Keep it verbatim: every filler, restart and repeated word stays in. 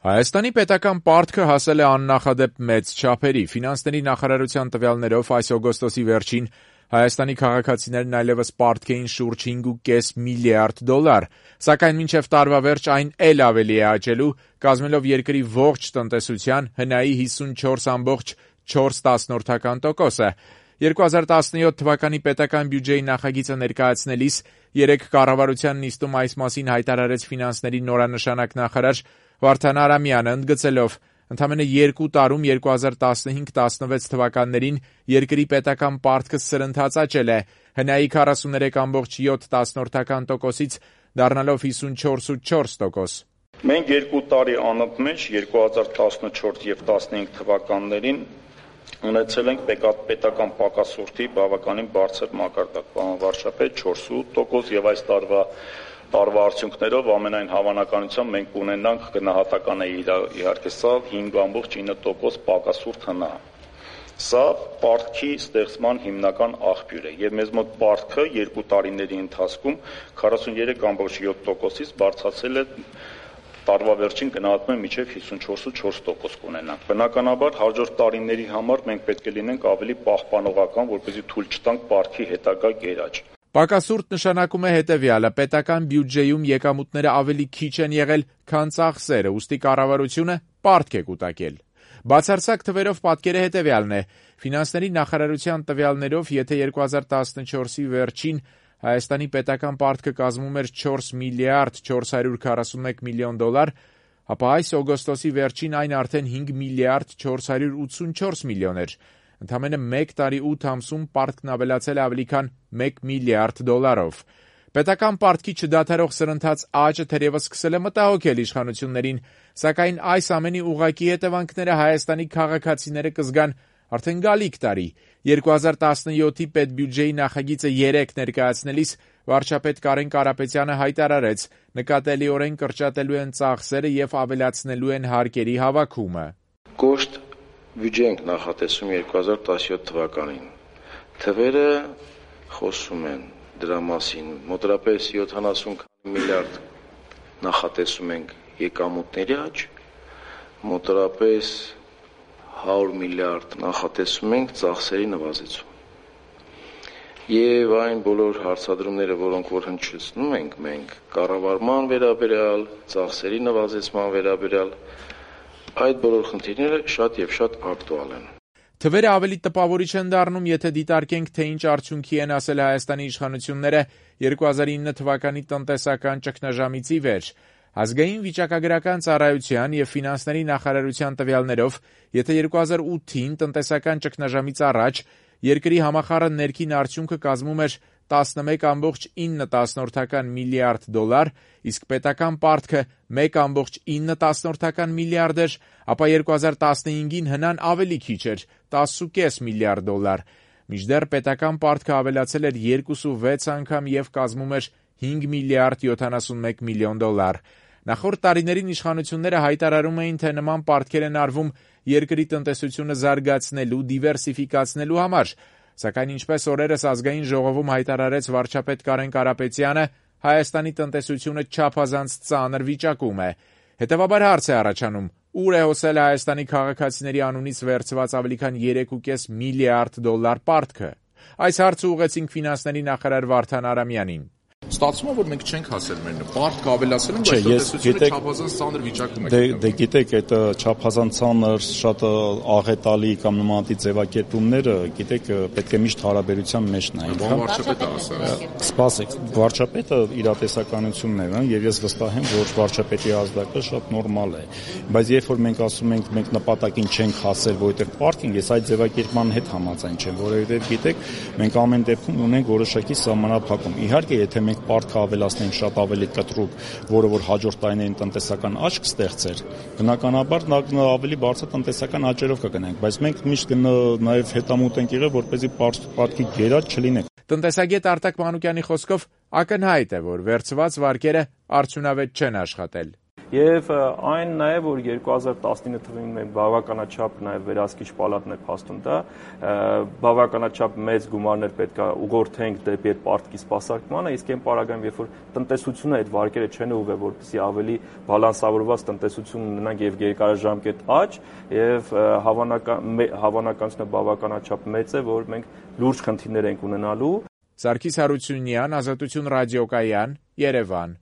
Հայաստանի պետական պարտքը հասել է աննախադեպ մեծ չափերի։ Ֆինանսների նախարարության տվյալներով այս օգոստոսի վերջին Հայաստանի քաղաքացիներն այլևս պարտք էին շուրջ հինգ կόμma պենս միլիարդ դոլար, սակայն մինչև տարվա վերջ այն էլ ավելի է աճելու, կազմելով երկրի ողջ տնտեսության հնայի հիսունչորս կόμma չորս տոկոսը։ երկու հազար տասնյոթ թվականի պետական բյուջեի նախագիծը ներկայացնելիս երեկ կառավարության նիստում այս մասին հայտարարեց ֆինանսների նորանշանակ նախարար Վարդան Արամյանը, ընդգծելով. ընդամենը երկու տարում երկու հազար տասնհինգ տասնվեց թվականներին երկրի պետական պարտքը սրընթաց աճել է, հնայի քառասուներեք կόμma յոթ տոկոսից դառնալով հիսունչորս կόμma չորս տոկոս։ Մենք երկու տարի անընդմեջ երկու հազար տասնչորս եւ տասնհինգ թվականներին ունեցել ենք պետական պակասուրդի բավականին բարձր մակարդակ, պարոն վարչապետ, չորս կόμma ութ տոկոս եւ այս տարվա տարվա արդյունքներով ամենայն հավանականությամբ մենք կունենանք գնահատական է իհարկե սա հինգ կόμma ինը տոկոս պակասուրդ հնա։ Սա պարտքի ստեղծման հիմնական աղբյուր է եւ մեզ մոտ պարտքը երկու տարիների ընթացքում քառասուներեք կόμma յոթ տոկոսից բարձրացել է տարվա վերջին գնահատում է մինչև հիսունչորս կόμma չորս տոկոս կունենանք։ Բնականաբար հաջորդ տարիների համար մենք պետք է լինենք ավելի պահպանողական, որպեսզի թույլ չտանք պարտքի հետագա գերաճ։ Պակասուրդ նշանակում է հետևյալը. պետական բյուջեում եկամուտները ավելի քիչ են եղել, քան ծախսերը, ուստի կառավարությունը պարտք է կուտակել։ Բացարձակ թվերով պատկերը հետևյալն է. ֆինանսների նախարարության տվյալներով, եթե երկու հազար տասնչորսի վերջին Հայաստանի պետական պարտքը կազմում էր չորս միլիարդ չորս հարյուր քառասունմեկ միլիոն դոլար, ապա այս օգոստոսի վերջին այն արդեն հինգ միլիարդ չորս հարյուր ութսունչորս միլիոն էր։ Ընդամենը մեկ տարի ութ ամսում պարտքն ավելացել է ավելի քան մեկ միլիարդ դոլարով։ Պետական պարտքի չդադարող սրընթաց աճը թերևս սկսել է մտահոգել իշխանություններին, սակայն այս ամենի ուղղակի հետևանքները Հայաստանի քաղաքացիները կզգան արդեն գալիք տարի։ երկու հազար տասնյոթի պետբյուջեի նախագիծը երեկ ներկայացնելիս վարչապետ Կարեն Կարապետյանը հայտարարեց. նկատելիորեն կրճատելու են ծախսերը եւ ավելացնելու են հարկերի հավաքումը։ Կոշտ բյուջե ենք նախատեսում երկու հազար տասնյոթ թվականին։ Թվերը խոսում են դրա մասին, մոտավորապես յոթանասուն միլիարդ նախատեսում ենք եկամուտների աճ, մոտավորապես հարյուր միլիարդ նախատեսում ենք ծախսերի նվազեցում։ Եվ այն բոլոր հարցադրումները, որոնք որ հնչեցնում ենք մենք կառավարման վերաբերյալ, ծախսերի նվազեցման վերաբերյալ, այդ բոլոր խնդիրները շատ եւ շատ ակտուալ են։ Թվերը ավելի տպավորիչ են դառնում, եթե դիտարկենք, թե ինչ արդյունքի են ասել Հայաստանի իշխանությունները երկու հազար ինը թվականի տնտեսական ճգնաժամից ի վեր։ Ազգային վիճակագրական ծառայության եւ ֆինանսների նախարարության տվյալներով, եթե երկու հազար ութին տնտեսական ճգնաժամից առաջ երկրի համախառն ներքին արդյունքը կազմում էր տասնմեկ կόμma ինը միլիարդ դոլար, իսկ պետական պարտքը մեկ կόμma ինը միլիարդ էր, ապա երկու հազար տասնհինգին հնան ավելի քիչ էր՝ տասը կόμma պենս միլիարդ դոլար։ Մինչդեռ պետական պարտքը ավելացել էր երկու կόμma վեց անգամ եւ կազմում էր հինգ միլիարդ յոթանասունմեկ միլիոն դոլար։ Նախորդ տարիներին իշխանությունները հայտարարում էին, թե նման պարտքեր են արվում երկրի տնտեսությունը զարգացնելու, դիվերսիֆիկացնելու համար, սակայն ինչպես օրերս ազգային ժողովում հայտարարեց վարչապետ Կարեն Կարապետյանը, Հայաստանի տնտեսությունը չափազանց ծանր վիճակում է։ Հետևաբար հարց է առաջանում. ուր է հոսել Հայաստանի քաղաքացիների անունից վերցված ավելի քան երեք կόμma պենս միլիարդ դոլար պարտքը։ Այս հարցը ուղղեցինք ֆինանսների նախարար Վարդան Արամյանին։ Ստացվում է, որ մենք չենք հասել մեր պարտքը ավելացել ենք, բայց տնտեսությունը չափազանց ծանր վիճակում է։ Դե գիտեք, այդ չափազանց ծանր, շատ աղետալի կամ նմանատիպ ձևակերպումները, գիտեք, պետք է միշտ հարաբերության մեջ նայել։ Վարչապետը ասա։ Սպասեք, վարչապետը իրատեսականությունն է, եւ ես վստահ եմ, որ վարչապետի ազդակը շատ նորմալ է։ Բայց երբ որ մենք ասում ենք, մենք նպատակին չենք հասել, որովհետեւ պարտքին, ես այդ ձևակերպման հետ համաձայն չեմ, որովհետեւ գիտեք, մենք ամեն դեպքում ունենք որոշակի սահմանափակում։ Իհարկե, եթե մենք պարտքը ավելացնենք շատ ավելի կտրուկ, որը որ հաջորդ տարիներին տնտեսական աճ կստեղծեր, բնականաբար ավելի բարձր տնտեսական աճերով կգնանք, բայց մենք միշտ նաև հետամուտ ենք եղել, որպեսզի պարտքի գերաճ չլինենք։ Տնտեսագետ Արտակ Մանուկյանի խոսքով ակնհայտ է, որ վերցված վարկերը արդյունավետ չեն աշխատել։ Եվ այն նաև, որ երկու հազար տասնինը թվականին մենք բավականաչափ նաև վերահսկիչ պալատն է փաստում դա, բավականաչափ մեծ գումարներ պետք է ուղղորդենք դեպի այդ պարտքի սպասարկմանը, իսկ այն պարագայում, երբ որ տնտեսությունը այդ վարկերը չեն ուղղվել, որպեսզի ավելի բալանսավորված տնտեսություն ունենանք եւ երկարաժամկետ աճ, եւ հավանական հավանականությունը բավականաչափ մեծ է, որ մենք լուրջ խնդիրներ ենք ունենալու։ Սարգիս Հարությունյան, Ազատություն ռադիոկայան, Երևան։